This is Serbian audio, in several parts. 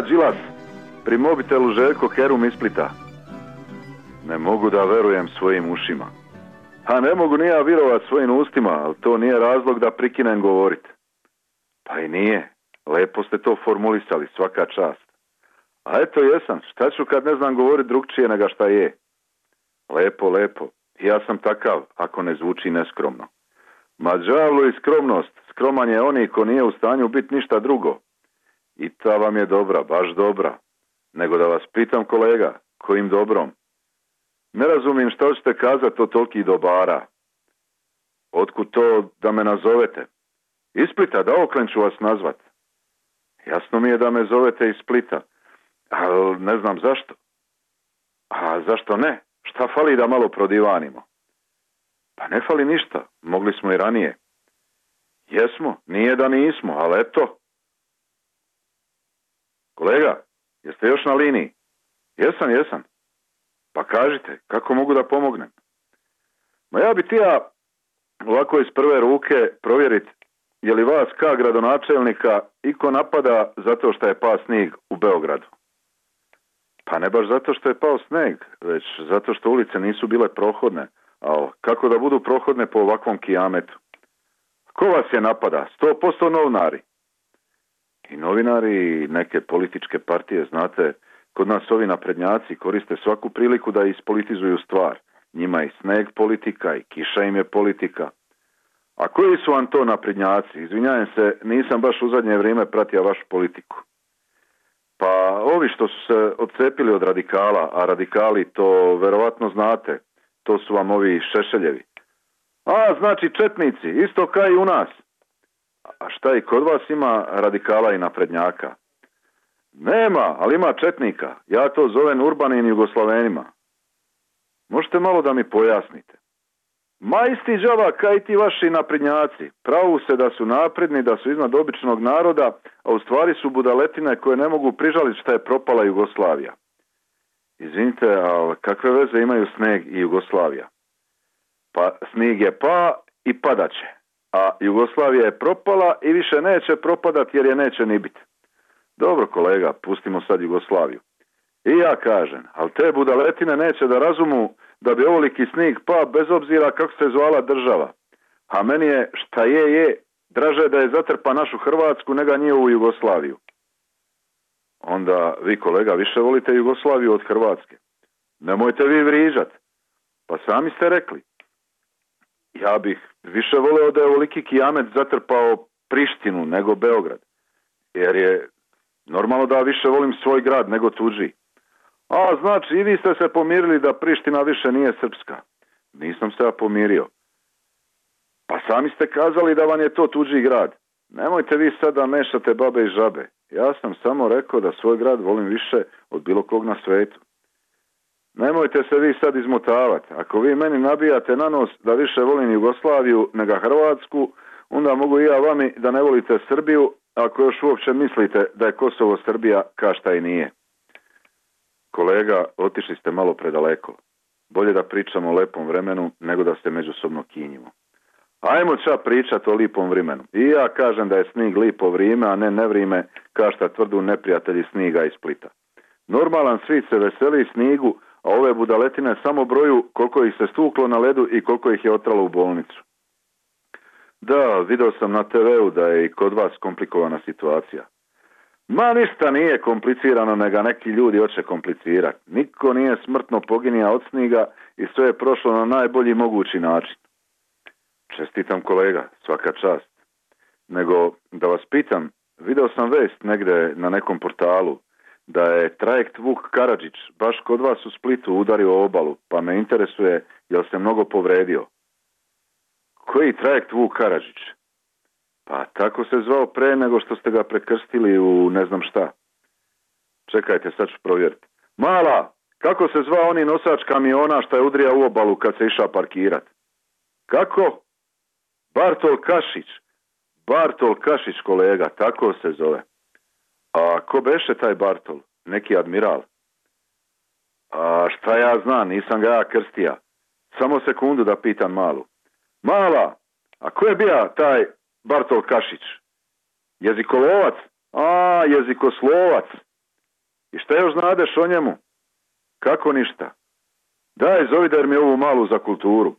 Draga Đilas, pri mobitelu Željko Kerum iz Splita. Ne mogu da verujem svojim ušima. A ne mogu ni ja virovat svojim ustima, ali to nije razlog da prikinem govorit. Pa i nije. Lepo ste to formulisali, svaka čast. A eto jesam, šta ću kad ne znam govorit drugčije nego šta je? Lepo, lepo. Ja sam takav, ako ne zvuči neskromno. Ma đavlu i skromnost. Skroman je oni ko nije u stanju biti ništa drugo. I ta vam je dobra, baš dobra. Nego da vas pitam, kolega, kojim dobrom? Ne razumijem šta hoćete kazati o toliki dobara. Otkud to da me nazovete? Iz Splita, da oklen ću vas nazvat. Jasno mi je da me zovete iz Splita, ali ne znam zašto. A zašto ne? Šta fali da malo prodivanimo? Pa ne fali ništa, mogli smo i ranije. Jesmo, nije da nismo, ali eto. Kolega, jeste još na liniji? Jesam. Pa kažite, kako mogu da pomognem? Ma ja bi tija ovako iz prve ruke provjerit je li vas ka gradonačelnika iko napada zato što je pao snijeg u Beogradu. Pa ne baš zato što je pao snijeg, već zato što ulice nisu bile prohodne. Ali kako da budu prohodne po ovakvom kijametu? Ko vas je napada? 100% novinari. I novinari i neke političke partije, znate, kod nas ovi naprednjaci koriste svaku priliku da ispolitizuju stvar. Njima i sneg politika i kiša im je politika. A koji su vam to naprednjaci? Izvinjavam se, nisam baš u zadnje vrijeme pratio vašu politiku. Pa ovi što su se odcepili od radikala, a radikali to verovatno znate, to su vam ovi Šešeljevi. A, znači četnici, isto kao i u nas. A šta i kod vas ima radikala i naprednjaka? Nema, ali ima četnika. Ja to zovem urbanim Jugoslavenima. Možete malo da mi pojasnite? Ma isti đava kao i ti vaši naprednjaci. Pravu se da su napredni, da su iznad običnog naroda, a u stvari su budaletine koje ne mogu prižaliti šta je propala Jugoslavija. Izvinite, ali kakve veze imaju sneg i Jugoslavija? Pa snijeg je pa i padaće. A Jugoslavija je propala i više neće propadati jer je neće ni biti. Dobro kolega, pustimo sad Jugoslaviju. I ja kažem, ali te budaletine neće da razumu da bi ovoliki snijeg pa bez obzira kako se zvala država. A meni je šta je, draže da je zatrpa našu Hrvatsku nego njihovu Jugoslaviju. Onda vi kolega više volite Jugoslaviju od Hrvatske. Nemojte vi vriđat. Pa sami ste rekli. Ja bih više voleo da je ovoliki kijamet zatrpao Prištinu nego Beograd. Jer je normalno da više volim svoj grad nego tuđi. A znači i vi ste se pomirili da Priština više nije srpska. Nisam se ja pomirio. Pa sami ste kazali da vam je to tuđi grad. Nemojte vi sad da mešate babe i žabe. Ja sam samo rekao da svoj grad volim više od bilo kog na svetu. Nemojte se vi sad izmotavati. Ako vi meni nabijate na nos da više volim Jugoslaviju nego Hrvatsku, onda mogu i ja vami da ne volite Srbiju, ako još uopće mislite da je Kosovo Srbija ka šta i nije. Kolega, otišli ste malo predaleko. Bolje da pričamo o lepom vremenu nego da se međusobno kinjimo. Ajmo ča pričati o lipom vremenu. I ja kažem da je snig lipo vrime, a ne nevrime, kao šta tvrdu neprijatelji sniga iz Splita. Normalan svijet se veseli snigu, a ove budaletine samo broju koliko ih se stuklo na ledu i koliko ih je otralo u bolnicu. Da, vidio sam na TV-u da je i kod vas komplikovana situacija. Ma ništa nije komplicirano, nego neki ljudi hoće komplicirati. Niko nije smrtno poginija od sniga i sve je prošlo na najbolji mogući način. Čestitam kolega, svaka čast. Nego, da vas pitam, video sam vest negde na nekom portalu da je trajekt Vuk Karadžić baš kod vas u Splitu udario obalu, pa me interesuje jel se mnogo povredio. Koji trajekt Vuk Karadžić? Pa tako se zvao pre nego što ste ga prekrstili u ne znam šta. Čekajte, sad ću provjeriti. Mala, kako se zvao oni nosač kamiona što je udrija u obalu kad se išao parkirat? Kako? Bartol Kašić. Bartol Kašić, kolega, tako se zove. A ko beše taj Bartol? Neki admiral. A šta ja znam, nisam ga ja krstija. Samo sekundu da pitam Malu. Mala, a ko je bio taj Bartol Kašić? Jezikolovac? A, jezikoslovac. I šta još znadeš o njemu? Kako ništa? Daj, zovi dar mi ovu malu za kulturu.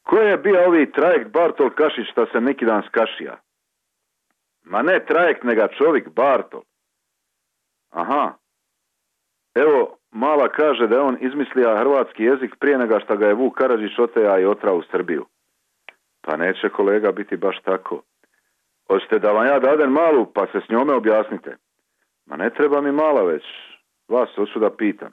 Ko je bio ovi trajekt Bartol Kašić šta se neki dan skašija? Ma ne trajekt, nega čovjek Bartol. Aha. Evo, mala kaže da je on izmislio hrvatski jezik prije nego što ga je Vuk Karadžić oteja i otrao u Srbiju. Pa neće, kolega, biti baš tako. Hoćete da vam ja dadem malu, pa se s njome objasnite. Ma ne treba mi mala već. Vas hoću da pitam.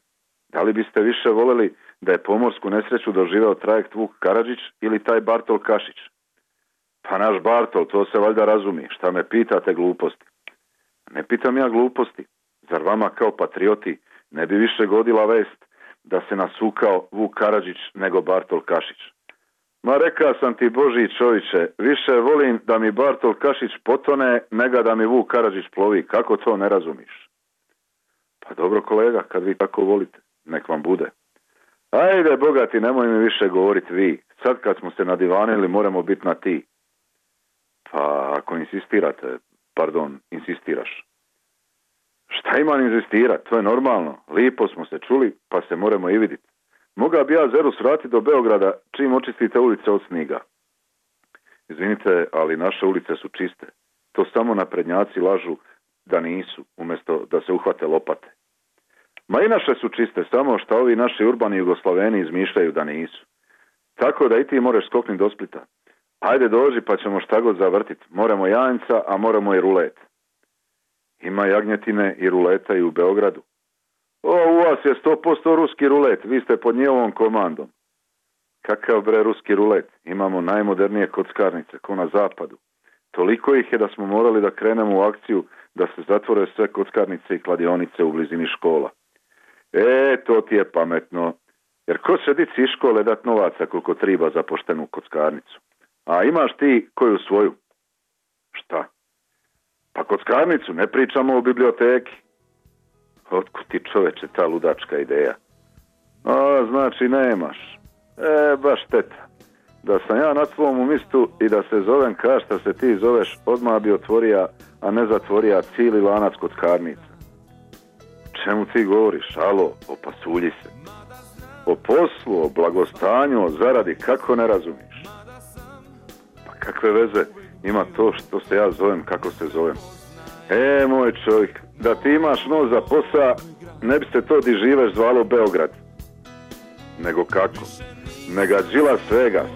Da li biste više voljeli da je pomorsku nesreću doživeo trajekt Vuk Karadžić ili taj Bartol Kašić? Pa naš Bartol, to se valjda razumi. Šta me pitate gluposti? Ne pitam ja gluposti. Zar vama kao patrioti ne bi više godila vest da se nasukao Vuk Karadžić nego Bartol Kašić? Ma reka sam ti, Boži čovječe, više volim da mi Bartol Kašić potone nego da mi Vuk Karadžić plovi. Kako to ne razumiš? Pa dobro, kolega, kad vi tako volite, nek vam bude. Ajde, bogati, nemoj mi više govoriti vi. Sad kad smo se nadivanili, moramo biti na ti. Pa ako insistiraš. Šta imam inzistirat? To je normalno. Lipo smo se čuli, pa se moramo i vidjeti. Moga bi ja Zerus vratiti do Beograda čim očistite ulice od sniga. Izvinite, ali naše ulice su čiste. To samo naprednjaci lažu da nisu, umjesto da se uhvate lopate. Ma i naše su čiste, samo što ovi naši urbani Jugoslaveni izmišljaju da nisu. Tako da i ti moraš skoknuti do Splita. Ajde dođi pa ćemo šta god zavrtiti. Moramo janjca, a moramo i rulet. Ima jagnjetine i ruleta i u Beogradu. U vas je 100% ruski rulet, vi ste pod njihovom komandom. Kakav bre ruski rulet? Imamo najmodernije kockarnice, ko na zapadu. Toliko ih je da smo morali da krenemo u akciju da se zatvore sve kockarnice i kladionice u blizini škola. To ti je pametno. Jer ko će dici iz škole dat novaca koliko treba za poštenu kockarnicu? A imaš ti koju svoju? Šta? Pa kockarnicu, ne pričamo o biblioteki. Otkud ti, čoveče, ta ludačka ideja? Znači nemaš. Baš šteta. Da sam ja na tvom mistu i da se zovem kao što se ti zoveš, odmah bi otvorija, a ne zatvorija cijeli lanac kockarnica. Čemu ti govoriš? Alo, opasulji se. O poslu, o blagostanju, o zaradi, kako ne razumiš? Pa kakve veze ima to što se ja zovem kako se zovem? Moj čovjek, da ti imaš nos za posa, ne bi se to di živeš zvalo Beograd. Nego kako? Mega Đilas Vegas.